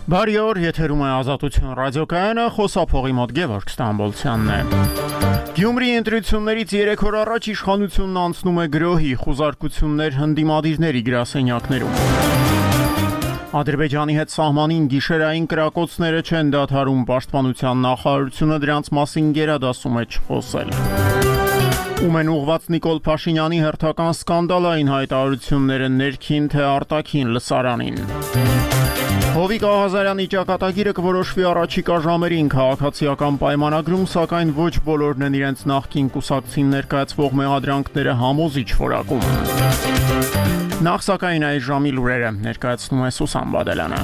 Բարի օր, եթերում է Ազատություն ռադիոկայանը, խոսափողի մոտ Գևորգ Ստամբոլցյանն է։ Գյումրի ընտրություններից 3 օր առաջ իշխանությունն անցնում է գրոհի, խուզարկություններ հնդիմադիրների գրասենյակներում։ Ադրբեջանի հետ սահմանին գիշերային կրակոցները չեն դադարում, պաշտպանության նախարարությունը դրանց մասին գերադասում է չխոսել։ Ում են ուղված Նիկոլ Փաշինյանի հերթական սկանդալային հայտարարությունները ներքին թե արտաքին լսարանին։ Հովիկ Աղազարյանի ճակատագիրը կորոշվի առաջիկա ժամերին քաղաքացիական պայմանագրում, սակայն ոչ բոլորն են իրենց նախկին կուսակցին ներկայացվող մեղադրանքները համոզիչ որակում։ Նախ սակայն այս ժամի լուրերը ներկայացնում է Սուսան Բադելյանը։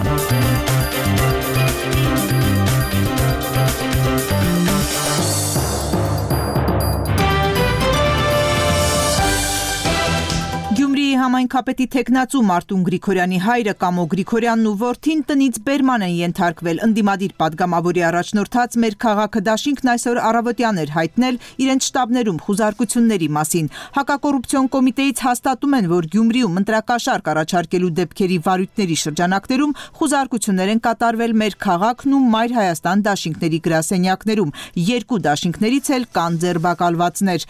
Համայնքապետի թեկնածու Մարտուն Գրիգորյանի հայրը Կամո Գրիգորյանն ու որդին տնից բերման են ենթարկվել։ Ընդդիմադիր պատգամավորի առաջնորդած Մեր քաղաքը դաշինքն այսօր առավոտյան էր հայտնել իրենց շտաբներում խուզարկությունների մասին։ Հակակոռուպցիոն կոմիտեից հաստատում են, որ Գյումրիում ընտրակաշարք առաջարկելու դեպքերի վարույթների շրջանակներում խուզարկություններ են կատարվել Մեր քաղաքն ու Մայր Հայաստան դաշինքների գրասենյակներում։ Երկու դաշինքներից էլ կան ձերբակալվածներ։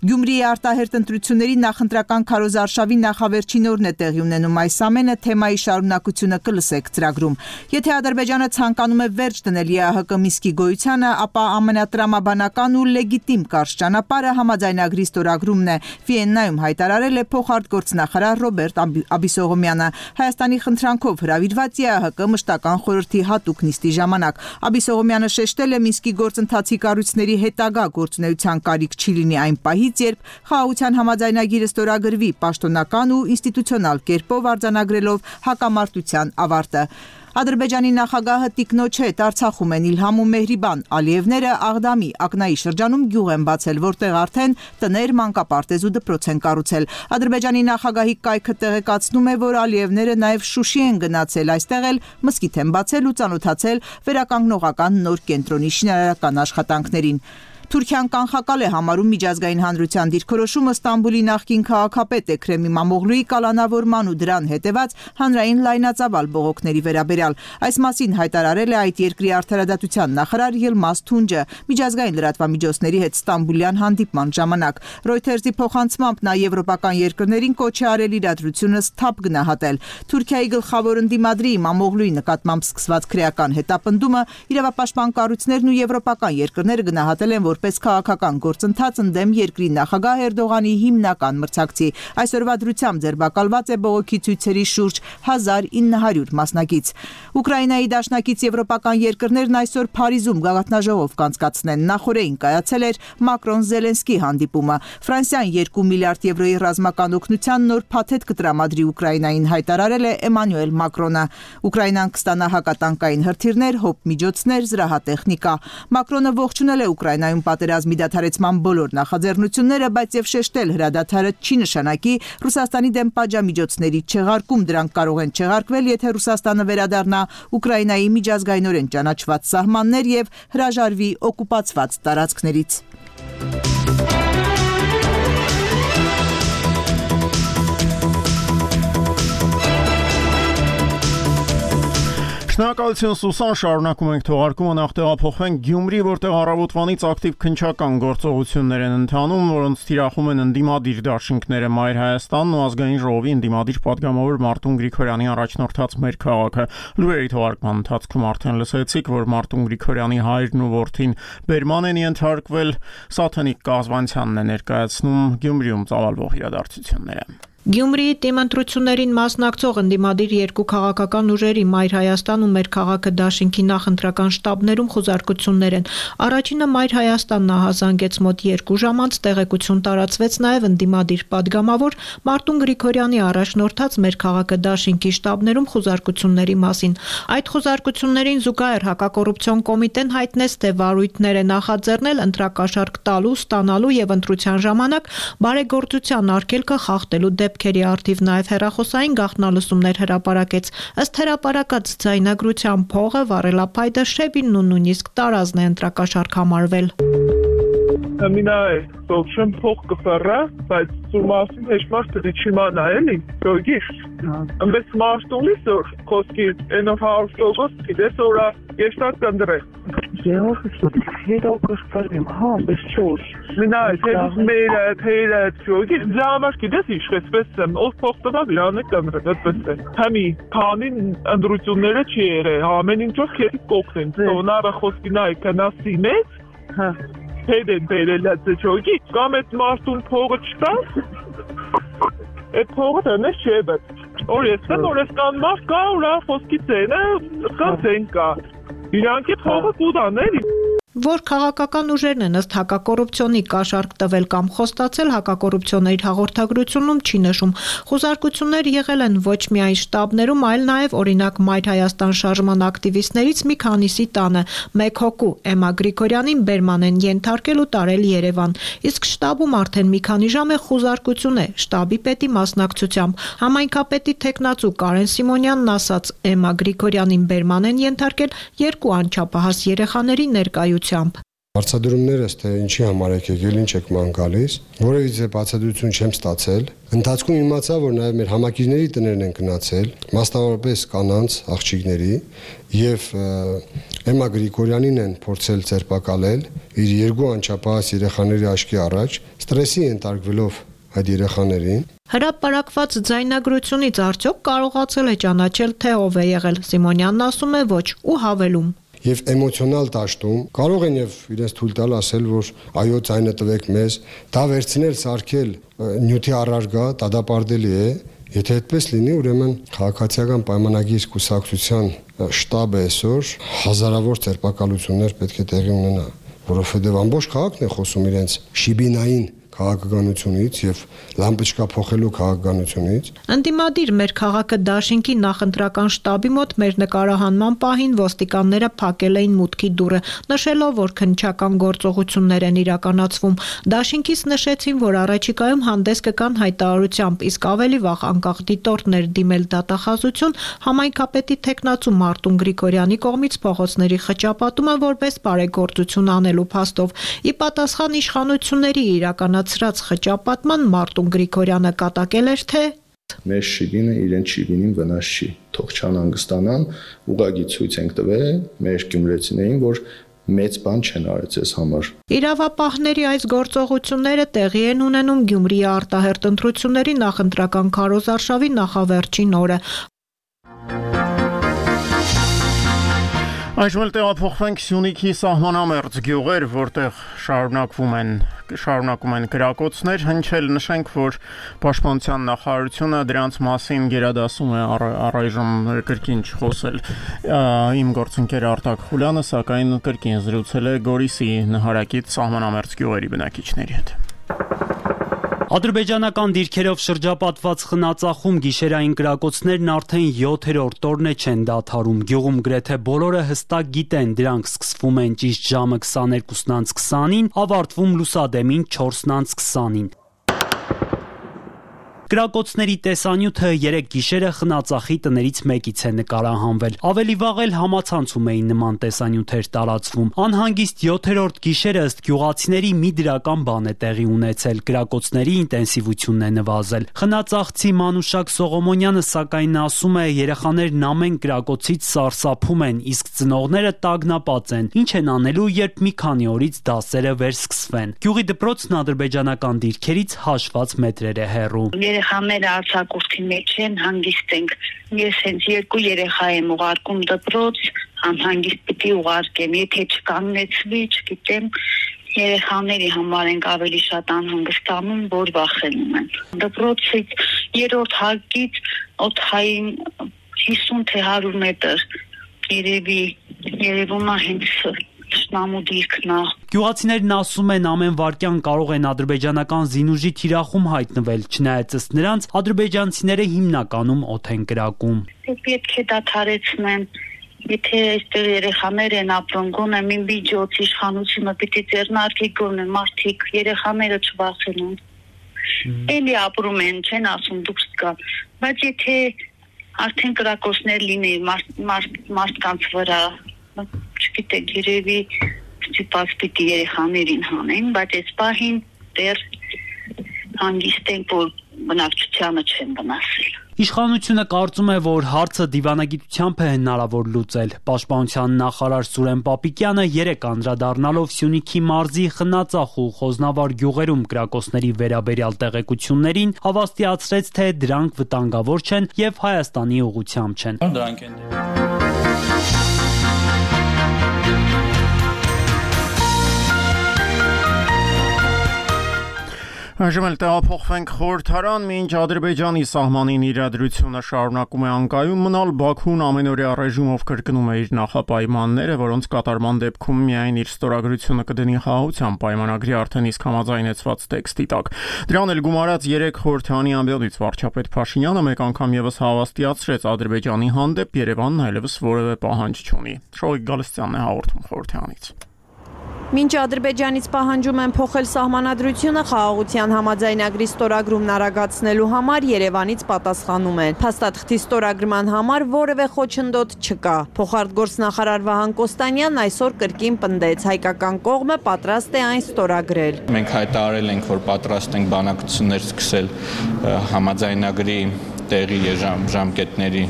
Գյումրիի արտահերտ ընտրությունների նախընտրական քարոզարշավի նախավերջին օրն է տեղի ունենում այս ամենը, թեմայի շարունակությունը կլսեք ծրագրում։ Եթե Ադրբեջանը ցանկանում է վերջ դնել ԵԱՀԿ Մինսկի գոյությանը, ապա ամենատրամաբանական ու լեգիտիմ կարճ ճանապարհը համաձայնագրի ստորագրումն է, Վիեննայում հայտարարել է փոխարտգործնախարար Ռոբերտ Աբիսողոմյանը։ Հայաստանի խնդրանքով հրավիրված ԵԱՀԿ մշտական խորհրդի հատուկ նիստի ժամանակ Աբիսողոմյանը շեշտել է Մինսկի գործընթացի կառույցների հետագա գործունեության կարիք չի լինի այն պահից, երբ խաղաղության համաձայնագիրը ստորագրվի պաշտոնական ու ինստիտուցիոնալ կերպով արձանագրելով հակամարտության ավարտը։ Ադրբեջանի նախագահը տիկնոջ հետ Արցախում են Իլհամ ու Մեհրիբան Ալիևները Աղդամի Ակնայի շրջանում գյուղ են բացել, որտեղ արդեն տներ, մանկապարտեզ ու դպրոց են կառուցել։ Ադրբեջանի նախագահի կայքը տեղեկացնում է, որ Ալիևները նաև Շուշի են գնացել, այստեղ էլ մզկիթ են բացել ու ծանոթացել վերականգնողական նոր կենտրոնի շինարարական աշխատանքներին։ Թուրքիան կանխակալ է համարում միջազգային հանրության դիրքորոշումը Ստամբուլի նախկին քաղաքապետ Էքրեմ Իմամօղլուի կալանավորման ու դրան հետևած հանրային լայնածավալ բողոքների վերաբերյալ։ Այս մասին հայտարարել է այդ երկրի արդարադատության նախարար Յիլմազ Թունջը միջազգային լրատվամիջոցների հետ Ստամբուլյան հանդիպման ժամանակ։ Ռոյթերզի փոխանցմամբ նա եվրոպական երկրներին կոչ է արել իրադրությունը սթափ գնահատել։ Թուրքիայի գլխավոր ընդդիմադրի Իմամօղլուի նկատմամբ սկսված քրեական հետապնդումը իրավապաշտպան կառույցներն ու եվրոպական երկրները գնահատել են որպես քաղաքական գործընթաց ընդդեմ երկրի նախագահ Էրդողանի հիմնական մրցակցի։ Այսօրվա դրությամբ ձերբակալված է բողոքի ցույցերի շուրջ 1900 մասնակից։ Ուկրաինայի դաշնակից եվրոպական երկրներն այսօր Փարիզում գաղտնաժողով կանցկացնեն։ Նախորդին կայացել էր Մակրոն-Զելենսկի հանդիպումը։ Ֆրանսիան 2 միլիարդ եվրոյի ռազմական օգնության նոր փաթեթ կտրամադրի Ուկրաինային, հայտարարել է Էմանուել Մակրոնը։ Ուկրաինան կստանա հակատանկային հրթիռներ, հոպմիջոցներ, զրահատեխնիկա։ Մակրոնը ողջունել է Ուկրաինայում պատերազմի դադարեցման բոլոր նախաձեռնությունները, բայց եւ շեշտել հրադադարը չի նշանակի Ռուսաստանի դեմ պատժամիջոցների չեղարկում, դրանք կարող են չեղարկվել, եթե Ռուսաստանը վերադառնա Ուկրաինայի միջազգայինորեն ճանաչված սահմաններ եւ հրաժարվի օկուպացված տարածքներից։ Շնորհակալություն Սուսան, շարունակում ենք թողարկումը, նախ տեղափոխվենք Գյումրի, որտեղ առավոտվանից ակտիվ քննչական գործողություններ են ընթանում, որոնց թիրախում են ընդդիմադիր դաշինքները Մայր Հայաստանն ու ազգային ժողովի ընդդիմադիր պատգամավոր Մարտուն Գրիգորյանի առաջնորդած Մեր քաղաքը։ Լուրերի թողարկման ընթացքում արդեն լսեցիք, որ Մարտուն Գրիգորյանի հայրն ու որդին բերման են ենթարկվել, Սաթենիկ Կազվանցյանն է ներկայացնում Գյումրիում ծավալվող իրադարձությունները։ Գյումրիի թիմընտրություններին մասնակցող ընդդիմադիր երկու քաղաքական ուժերի Մայր Հայաստան ու Մեր քաղաքը դաշինքի նախընտրական շտաբներում խուզարկություններ են։ Առաջինը Մայր Հայաստանն ահազանգեց մոտ 2 ժամ անց, տեղեկություն տարածվեց նաև ընդդիմադիր պատգամավոր Մարտուն Գրիգորյանի առաջնորդած Մեր քաղաքը դաշինքի շտաբներում խուզարկությունների մասին։ Այդ խուզարկություններին զուգահեռ հակակոռուպցիոն կոմիտեն հայտնեց, թե վարույթներ է նախաձեռնել ընտրակաշառք տալու, ստանալու եւ ընտրության ժամանակ բարեգործության արգելքը խախտելու դեպքերի առթիվ նաև հեռախոսային գաղտնալսումներ հրապարակեց։ Ըստ հրապարակած ձայնագրության փողը, վառելափայտը, շեբինն ու նույնիսկ տարազն է ընտրակաշառք համարվել։ Ամինայ, սովշեմ փող կֆռա, բայց սուրմասին հեշմար թրիչիմանա էլի, գոգիր։ Ամբես մաշտունի սոր, խոսքի ենով հարուստողոս, իդես որա եշտատ կնդրե։ Եհով հետով կշպարեմ, բես չոր։ Մինայ, թեզուս մերդ, հերդ, գոգիր, ձամար կիդես իշխեցպես եմ, ով փող տվավ իրանը կնդրե, դտպես է։ Համի, պանին ընդրությունները չի երը, ամեն ինչով կերի կողնեն, սոնարը խոսքի նայ կնասի մեծ, Հեդեն բերելած է չոգի, կամ էտ մարդուն փողը չտաս, էտ փողը տնես չէ բետ, որ ես կան մարդ կա, ուրա խոսքի ծենը, կան ծեն կա, իրանք է փողը կուդաներ, Որ քաղաքական ուժերն են ըստ հակակոռուպցիոնի կաշառք տվել կամ խոստացել հակակոռուպցիոների հաղորդագրությունում չի նշում։ Խոզարկություններ եղել են ոչ միայն շտաբներում, այլ նաև օրինակ Մայր Հայաստան շարժման ակտիվիստներից մի քանիսի տանը մեկ հոգու Էմմա Գրիգորյանին բերման են ենթարկել ու տարել Երևան։ Իսկ շտաբում արդեն մի քանի ժամ է խոզարկություն է շտաբի պետի մասնակցությամբ։ Համայնքապետի թեկնածու Կարեն Սիմոնյանն ասաց, Էմմա Գրիգորյանին բերման են ենթարկել երկու անչափահաս երեխաների ներկայությամբ Բացատրումներս թե ինչի համար եք եկել, ինչ եք ման գալիս, որևիցե բացատրություն չեմ ստացել։ Ընթացքում իմացա, որ նաև մեր համակիրների տներն են գնացել, մասնավորապես կանանց, աղջիկների, եւ Էմմա Գրիգորյանին են փորձել ձերբակալել իր երկու անչափահաս երեխաների աչքի առաջ, ստրեսի ենթարկվելով այդ երեխաներին։ Հրապարակված ձայնագրությունից արդյոք կարողացել է ճանաչել, թե ով է եղել։ Սիմոնյանն ասում է ոչ ու հավելում։ Եվ էմոցիոնալ դաշտում կարող են եւ իրենց թույլ տալ ասել, որ այո, ձայնը տվեք մեզ, դա վերցնել, սարքել նյութի առարգա, դադապարտելի է, եթե այդպես լինի, ուրեմն քաղաքացիական պայմանագիր կուսակցության շտաբը այսօր հազարավոր ձերբակալություններ պետք է տեղի ունենա, որովհետեւ ամբողջ քաղաքն է խոսում իրենց շիբինային քաղաքականությունից եւ լամպեչկա փոխելու քաղաքականությունից։ Ընդդիմադիր մեր քաղաքը դաշինքի նախընտրական շտաբի մոտ մեր նկարահանման պահին ոստիկանները փակել էին մուտքի դուռը, նշելով, որ քննչական գործողություններ են իրականացվում։ Դաշինքից նշեցին, որ առաջիկայում հանդես կգան հայտարարությամբ, իսկ ավելի վաղ անկախ դիտորդներ դիմել դատախազություն համայնքապետի թեկնածու Մարտուն Գրիգորյանի կողմից փողոցների խճապատումը որպես բարեգործություն անելու փաստով։ Ի պատասխան իշխանությունների իրականացրած խճապատման Մարտուն Գրիգորյանը կատակել էր, թե մեր շիբինը իրեն շիբինին վնաս չի, թող չանհանգստանան, ուղղակի ցույց ենք տվել մեր գյումրեցիներին, որ մեծ բան չեն արել այս համար։ Իրավապահների այս գործողությունները տեղի են ունենում Գյումրիի արտահերթ ընտրությունների նախընտրական քարոզարշավի նախավերջին օրը։ Այժմ տեղափոխվենք Սյունիքի սահմանամերձ գյուղեր, որտեղ շարունակում են կրակոցներ, հնչել նշենք, որ Պաշտպանության նախարարությունը դրանց մասին գերադասում է առայժմ կրկին չխոսել։ Իմ գործընկեր Արտակ Խուլյանը սակայն կրկին զրուցել է Գորիսի նահարակից սահմանամերձ գյուղերի բնակիչների հետ։ Ադրբեջանական դիրքերով շրջապատված խնածախում գիշերային կրակոցներն արդեն 7-րդ օրն է չեն դադարում։ Գյուղում գրեթե բոլորը հստակ գիտեն, դրանք սկսվում են ճիշտ ժամը 22:20-ին, ավարտվում լուսադեմին 4:20-ին։ Կրակոցների տեսանյութը 3 գիշերը խնածախի տներից մեկից է նկարահանվել։ Ավելի վաղ էլ համացանցում էին նման տեսանյութեր տարածվում։ Անհանգիստ 7-րդ գիշերը ըստ գյուղացիների մի դրական բան է տեղի ունեցել։ Կրակոցների ինտենսիվությունն է նվազել։ Խնածախցի Մանուշակ Սողոմոնյանը սակայն ասում է, երեխաներն ամեն կրակոցից սարսափում են, իսկ ծնողները տագնապած են։ Ինչ են անելու, երբ մի քանի օրից դասերը վերսկսվեն։ Գյուղի դպրոցն ադրբեջանական դիրքերից հաշված մետրեր է հեռու։ Երեխաները արձակուրդի մեջ են, հանգիստ ենք։ Ես հենց 2 երեխա եմ ուղարկում դպրոց, անհանգիստ պիտի ուղարկեմ, եթե չկանգնեցվի, չգիտեմ, երեխաների համար ենք ավելի շատ անհանգստանում, որ վախենում են։ Դպրոցից 3-րդ հարկից օդային 50 թե 100 մետր երևում է հենց Շնամու դիրքն է։ Գյուղացիներն ասում են, ամեն վայրկյան կարող են ադրբեջանական զինուժի թիրախում հայտնվել, չնայած ըստ նրանց ադրբեջանցիները հիմնականում օդ են կրակում։ Պետք է դադարեցնեն, եթե այստեղ երեխաներ են ապրում, գոնե մի միջոց իշխանությունը պիտի ձեռնարկի, գոնե մարդիկ երեխաները չվախենան։ Էլի ապրում են, չեն ասում դուրս գա, բայց եթե արդեն կրակոցներ լինի մարդկանց վրա, չգիտեք, երևի ստիպված պիտի երեխաներին հանեն, բայց այս պահին դեռ հանգիստ ենք, որ բնակչությանը չեն վնասել։ Իշխանությունը կարծում է, որ հարցը դիվանագիտությամբ է հնարավոր լուծել։ Պաշտպանության նախարար Սուրեն Պապիկյանը երեկ անդրադառնալով Սյունիքի մարզի Խնածախ ու Խոզնավար գյուղերում կրակոցների վերաբերյալ տեղեկություններին, հավաստիացրեց, թե դրանք վտանգավոր չեն եւ Հայաստանի ուղղությամբ չեն։ Դրանք են։ Այժմ էլ տեղափոխվենք խորհրդարան, մինչ Ադրբեջանի սահմանին իրադրությունը շարունակում է անկայուն մնալ, Բաքուն ամենօրյա ռեժիմով կրկնում է իր նախապայմանները, որոնց կատարման դեպքում միայն իր ստորագրությունը կդնի խաղաղության պայմանագրի արդեն իսկ համաձայնեցված տեքստի տակ։ Դրան էլ գումարած 3 խորհրդարանի ամբիոնից վարչապետ Փաշինյանը մեկ անգամ եւս հավաստիացրեց Ադրբեջանի հանդեպ Երևանն այլևս որևէ պահանջ չունի։ Շոյիկ Գալստյանն է հաղորդում խորհրդարանից։ Մինչ Ադրբեջանից պահանջում են փոխել սահմանադրությունը, խաղաղության համաձայնագրի ստորագրումն արագացնելու համար Երևանից պատասխանում են։ Փաստաթղթի ստորագրման համար որևէ խոչընդոտ չկա։ Փոխարտգործնախարար Վահան Կոստանյանն այսօր կրկին պնդեց, հայկական կողմը պատրաստ է այն ստորագրել։ Մենք հայտարարել ենք, որ պատրաստ ենք բանակցություններ սկսել համաձայնագրի տեղի ժամկետների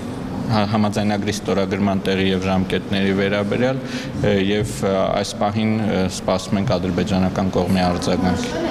համաձայնագրի ստորագրման տեղի եւ ժամկետների վերաբերյալ եւ այս պահին սպասում ենք ադրբեջանական կողմի արձագանքի։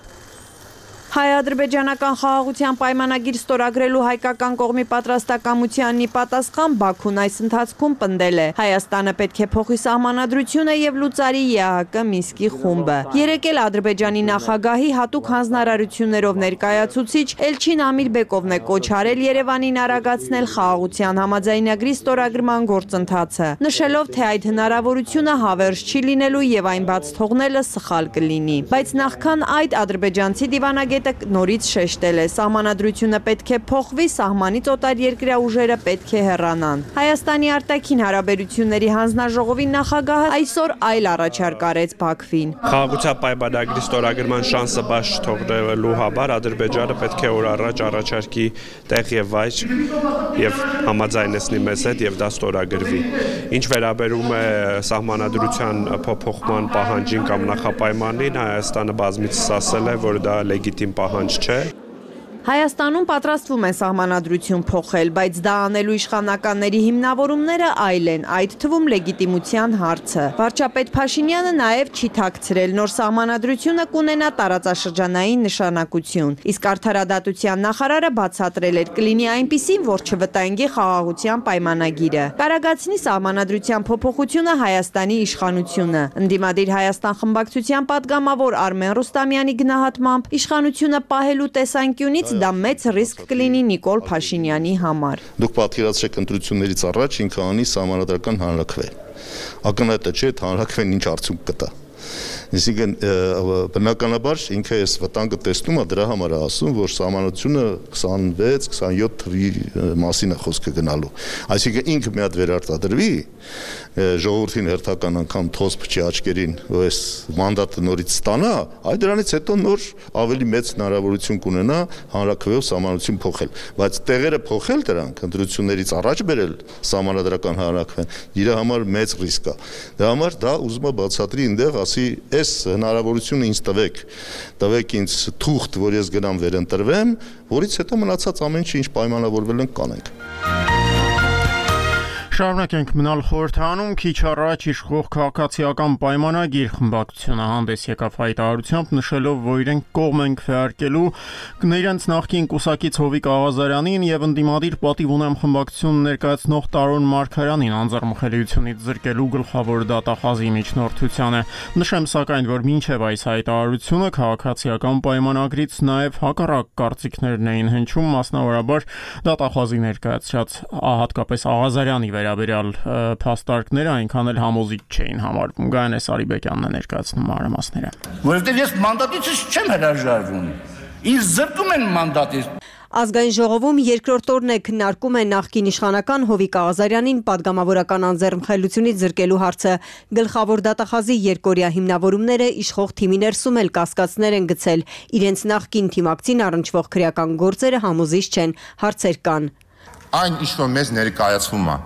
Հայ-ադրբեջանական խաղաղության պայմանագիր ստորագրելու հայկական կողմի պատրաստակամությանն ի պատասխան Բաքուն այս ընթացքում պնդել է. Հայաստանը պետք է փոխի սահմանադրությունը եւ լուծարի ԵԱՀԿ Մինսկի խումբը։ Երեկ էլ Ադրբեջանի նախագահի հատուկ հանձնարարություններով ներկայացուցիչ Էլչին Ամիրբեկովն է կոչ արել Երևանին արագացնել խաղաղության համաձայնագրի ստորագրման գործընթացը, նշելով, թե այդ հնարավորությունը հավերժ չի լինելու եւ այն բաց թողնելը սխալ կլինի։ Բայց նախքան այդ ադրբեջանցի դիվանագետ նորից շեշտել է, սահմանադրությունը պետք է փոխվի, սահմանից օտարերկրյա ուժերը պետք է հեռանան։ Հայաստանի արտաքին հարաբերությունների հանձնաժողովի նախագահը այսօր այլ առաջարկ արեց Բաքվին։ Խաղաղության պայմանագրի ստորագրման շանսը բաց չթողնելու համար Ադրբեջանը պետք է օր առաջ առաջարկի տեղ եւ վայր եւ համաձայնեցնի մեզ հետ եւ դա ստորագրվի։ Ինչ վերաբերում է սահմանադրության փոփոխման պահանջին կամ նախապայմանին, Հայաստանը բազմիցս ասել է, որ դա լեգիտիմ պահանջ չէ։ Հայաստանում պատրաստվում են սահմանադրություն փոխել, բայց դա անելու իշխանականների հիմնավորումները այլ են, այդ թվում լեգիտիմության հարցը։ Վարչապետ Փաշինյանը նաև չի թաքցրել, նոր սահմանադրությունը կունենա տարածաշրջանային նշանակություն, իսկ արդարադատության նախարարը բացատրել էր, կլինի այնպիսին, որ չվտանգի խաղաղության պայմանագիրը։ Կարագացնի սահմանադրության փոփոխությունը Հայաստանի իշխանությունը։ Ընդդիմադիր Հայաստան խմբակցության պատգամավոր Արմեն Ռուստամյանի գնահատմամբ իշխանությունը պահելու տեսանկյունից դա մեծ ռիսկ կլինի Նիկոլ Փաշինյանի համար։ Դուք պատկերացրեք ընտրություններից առաջ ինքը անի սահմանադրական հանրաքվե։ Ակնհայտ չէ, թե հանրաքվեն ինչ արդյունք կտա։ Այսինքն բնականաբար ինքը այս վտանգը տեսնում է, դրա համար է ասում, որ սահմանությունը 26-27 թվի մասին է խոսքը գնալու։ Այսինքն ինքը մի հատ վերարտադրվի, ժողովրդին հերթական անգամ թոզ փչի աչքերին, որ այս մանդատը նորից ստանա, այդ դրանից հետո նոր ավելի մեծ հնարավորություն կունենա հանրաքվեով սահմանություն փոխել, բայց տեղերը փոխել դրանք ընտրություններից առաջ բերել սահմանադրական հանրաքվեն, իր համար մեծ ռիսկ է։ Դրա համար դա ուզում է բացատրի այնտեղ, ասի այս հնարավորությունը ինձ տվեք ինձ թուղթ, որ ես գնամ վերընտրվեմ, որից հետո մնացած ամեն ինչ ինչ պայմանավորվել ենք կանենք։ Շարունակենք մնալ խորհրդարանում, քիչ առաջ իշխող քաղաքացիական պայմանագիր խմբակցությունը հանդես եկավ հայտարարությամբ, նշելով, որ իրենք կողմ են քվեարկելու իրենց նախկին կուսակից Հովիկ Աղազարյանին եւ ընդդիմադիր պատիվ ունեմ խմբակցություն ներկայացնող Տարոն Մարգարյանին անձեռնմխելիությունից զրկելու գլխավոր դատախազի միջնորդությանը։ Նշեմ սակայն, որ մինչև այս հայտարարությունը քաղաքացիական պայմանագրից նաեւ հակառակ կարծիքներն էին հնչում, մասնավորաբար դատախազի ներկայացրած հատկապես Աղազարյանի վերաբերյալ փաստարկները այնքան էլ համոզիչ չէին համարվում։ Գայանե Սարիբեկյանն է ներկայացնում մանրամասները։ Որովհետև ես մանդատից չեմ հրաժարվում։ Ինձ զրկում են մանդատից։ Ազգային ժողովում երկրորդ օրն է քննարկում է նախկին իշխանական Հովիկ Աղազարյանին պատգամավորական անձեռնմխելիությունից զրկելու հարցը։ Գլխավոր դատախազի երկօրյա հիմնավորումները իշխող թիմի ներսում էլ կասկածներ են գցել։ Իրենց նախկին թիմակցին առնչվող քրեական գործերը համոզիչ չեն, հարցեր կան։ Այն ինչ որ մեզ ներկայացվում է,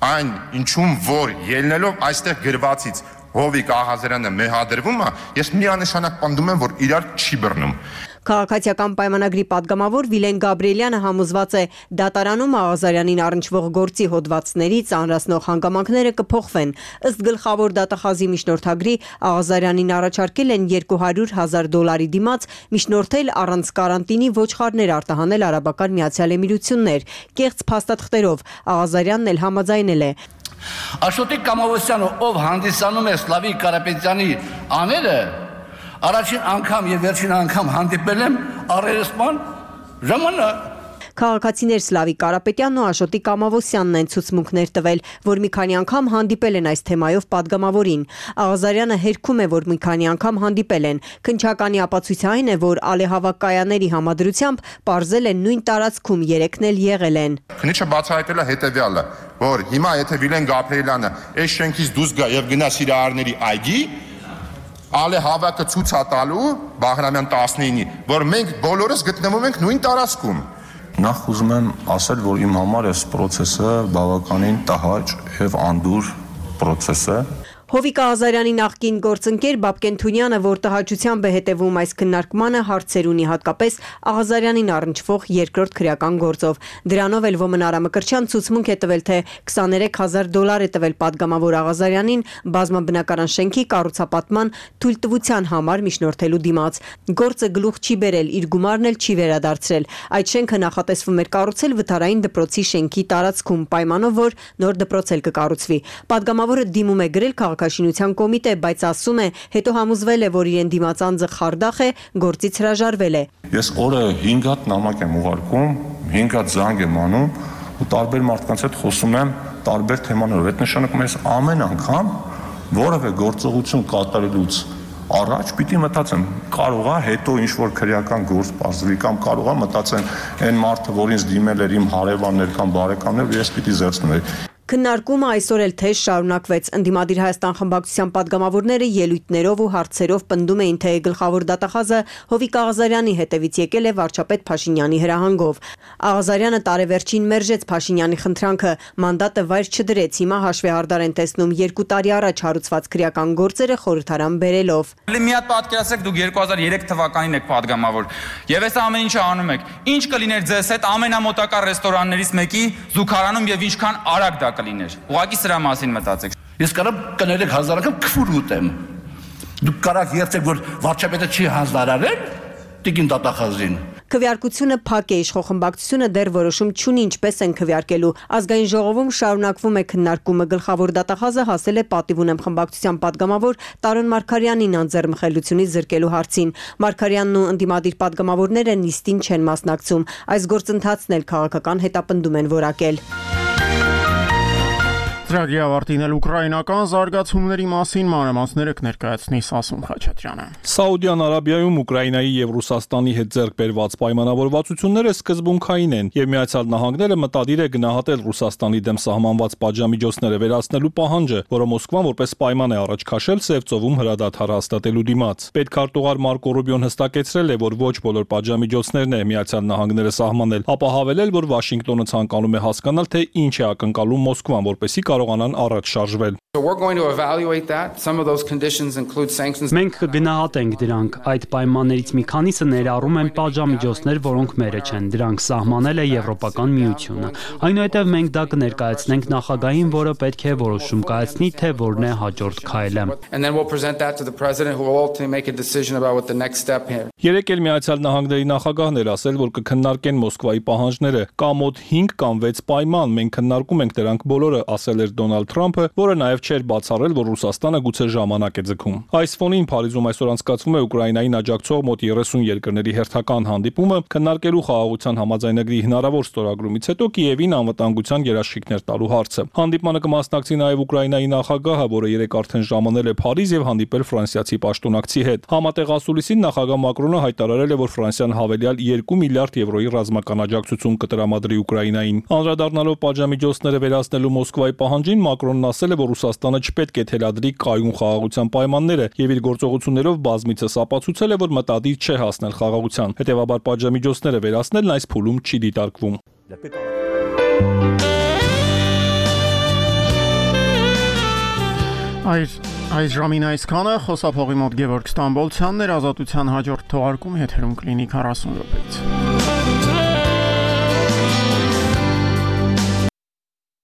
այն ինչում որ ելնելով այստեղ գրվածից Հովիկ Աղազարյանը մեղադրվում է, ես միանշանակ պնդում եմ, որ իրար չի բռնում։ Քաղաքացիական պայմանագրի падգամավոր Վիլեն Գաբրիելյանը համոզված է, դատարանում Աղազարյանին առնչվող գործի հոդվածներից անրացնող հանգամանքները կփոխվեն։ Ըստ գլխավոր դատախազի միջնորդագրի Աղազարյանին առաջարկել են $200,000 դիմաց միջնորդել առանց կարանտինի ոչխարներ արտահանել Արաբական Միացյալ Էմիրություններ։ Կեղծ փաստաթղթերով Աղազարյանն էլ համաձայնել է։ Աշոտիկ Կամովոսյանը, ով հանդիսանում է Սլավիկ Կարապետյանի աները, առաջին անգամ եւ վերջին անգամ հանդիպել եմ առերեսման ժամանակ։ Քաղաքացիներ Սլավիկ Կարապետյանն ու Աշոտիկ Կամովոսյանն են ցուցմունքներ տվել, որ մի քանի անգամ հանդիպել են այս թեմայով падգամավորին։ Աղազարյանը հերքում է, որ մի քանի անգամ հանդիպել են։ Քննչականի ապացույցը այն է, որ ալեհավակայանների համադրությամբ պարզել են նույն տարածքում երեքն էլ եղել են։ Քննիչը բացահայտել է հետեւյալը, որ հիմա եթե Վիլեն Գաբրիելյանը այս շենքից դուրս գա եւ գնա Սիրահարների այգի, ալեհավակը ցույց է տալու Բաղրամյան 19-ի, որ մենք բոլորս գտնվում ենք նույն տարածքում։ Նախ ուզում եմ ասել, որ իմ համար այս process-ը բավականին տհաճ եւ անդուր process է։ Հովիկ Աղազարյանի նախկին գործընկեր Բաբկեն Թունյանը, որ տհաճությամբ է հետևում այս քննարկմանը, հարցեր ունի հատկապես Աղազարյանին առնչվող երկրորդ քրեական գործով։ Դրանով էլ Ոմնարա Մկրտչյան ցուցմունք է տվել, թե $23,000 է տվել падգամավոր Աղազարյանին բազմաբնակարան շենքի կառուցապատման թույլտվության համար միջնորդելու դիմաց։ Գործը գլուխ չի բերել, իր գումարն էլ չի վերադարձրել։ Այդ շենքը նախատեսվում էր կառուցել վթարային դպրոցի շենքի տարածքում, պայմանով, որ նոր դպրոց էլ կկառուցվի։ Падգամավորը դիմում է գրել Քաղաքաշինության կոմիտե, բայց ասում է, հետո համոզվել է, որ իրեն դիմաց անձը խարդախ է, գործից հրաժարվել է։ Ես օրը 5 հատ նամակ եմ ուղարկում, 5 հատ զանգ եմ անում ու տարբեր մարդկանց հետ խոսում եմ տարբեր թեմաներով։ Այդ նշանակում է ես ամեն անգամ որևէ գործողություն կատարելուց առաջ պիտի մտածեմ, կարող է հետո ինչ որ քրեական գործ բացվի կամ կարող է մտածեմ այն մարդը, որ ինձ դիմել էր իմ հարևաններ կամ բարեկամներ, ես պիտի զերծնեի։ Քննարկումը այսօր էլ թեժ շարունակվեց։ Ընդդիմադիր Հայաստան խմբակցության падգամավորները ելույթներով ու հարցերով պնդում էին, թե գլխավոր դատախազը Հովիկ Աղազարյանի հետևից եկել է վարչապետ Փաշինյանի հրահանգով։ Աղազարյանը տարեվերջին մերժեց Փաշինյանի խնդրանքը, մանդատը վայր չդրեց։ Հիմա հաշվեհարդար են տեսնում 2 տարի առաջ հարուցված քրեական գործերը խորհրդարան բերելով։ Մի հատ պատկերացրեք, դուք 2003 թվականին եք падգամավոր եւ այս ամեն ինչը անում եք։ Ինչ կլիներ ձեզ հետ ամենամոտակա ռեստորաններից մեկի զուգարանում եւ ինչքան արագ դա կլիներ։ Ուղղակի սրա մասին մտածեք։ Ես կարող կներեք հազար անգամ քֆուր ուտեմ։ Դուք կարող երթեք, որ վարչապետը չի հանձնարարել տիկին դատախազին։ Քվեարկությունը փակ է, իշխող դեռ որոշում չունի ինչպես են քվեարկելու։ Ազգային ժողովում շարունակվում է քննարկումը։ Գլխավոր դատախազը հասել է պատիվ ունեմ խմբակցության падգամավոր Տարոն Մարգարյանին անձեռմխելիությունից զրկելու հարցին։ Մարգարյանն ու ընդդիմադիր падգամավորները նիստին չեն մասնակցում։ Այս գործընթացն էլ քաղաքական հետապնդում են որակել։ Ծրագրի ավարտին էլ ուկրաինական զարգացումների մասին մանրամասները կներկայացնի Սասուն Խաչատրյանը։ Սաուդյան Արաբիայում Ուկրաինայի եւ Ռուսաստանի հետ ձեռք բերված պայմանավորվածությունները սկզբունքային են եւ Միացյալ Նահանգները մտադիր է գնահատել Ռուսաստանի դեմ սահմանված պատժամիջոցները վերացնելու պահանջը, որը Մոսկվան որպես պայման է առաջ քաշել Սև ծովում հրադադար հաստատելու դիմաց։ Պետքարտուղար Մարկո Ռուբիոն հստակեցրել է, որ ոչ բոլոր պատժամիջոցներն է Միացյալ Նահանգները սահմանել, ապա հավելել, որ Վաշինգտոնը ցանկանում է հասկանալ, թե ինչ է ակնկալում Մոսկվան, որպեսզի կարողանան առաջ շարժվել։ Մենք կգնահատենք դրանք։ Այդ պայմաններից մի քանիսը ներառում են պատժամիջոցներ, որոնք մերը չեն։ Դրանք սահմանել է Եվրոպական միությունը։ Այնուհետև մենք դա կներկայացնենք նախագահին, որը պետք է որոշում կայացնի, թե որն է հաջորդ քայլը։ Երեկ էլ Միացյալ Նահանգների նախագահն էր ասել, որ կքննարկեն Մոսկվայի պահանջները։ Կա մոտ 5 կամ 6 պայման, մենք քննարկում ենք դրանք բոլորը, ասել էր Դոնալդ Թրամփը, որը նաև չէր բացառել, որ Ռուսաստանը գուցե ժամանակ է ձգում։ Այս ֆոնին Փարիզում այսօր անցկացվում է Ուկրաինային աջակցող մոտ 30 երկրների հերթական հանդիպումը, քննարկելու խաղաղության համաձայնագրի հնարավոր ստորագրումից հետո Կիևին անվտանգության երաշխիքներ տալու հարցը։ Հանդիպմանը կմասնակցի նաև Ուկրաինայի նախագահը, որը երեկ արդեն ժամանել է Փարիզ եւ հանդիպել ֆրանսիացի պաշտոնակցի հետ։ Համատեղ ասուլիսին նախագահ Մակրոնը հայտարարել է, որ Ֆրանսիան հավելյալ 2 միլիարդ եվրոյի ռազմական աջակցություն կտրամադրի Ուկրաինային։ Անդրադառնալով պատժամիջոցները վերացնելու Մոսկվայի պահանջին Մակրոնն ասել է, որ Ռուսաստանը չպետք է թելադրի կայուն խաղաղության պայմանները եւ իր գործողություններով բազմիցս ապացուցել է, որ մտադիր չէ հասնել խաղաղության։ Հետևաբար պատժամիջոցները վերացնելն այս փուլում չի դիտարկվում։ Այս ժամին այսքանը, խոսափողի մոտ Գևորգ Ստամբոլցյանն էր, Ազատության հաջորդ թողարկում եթերում կլինի 40 րոպեից։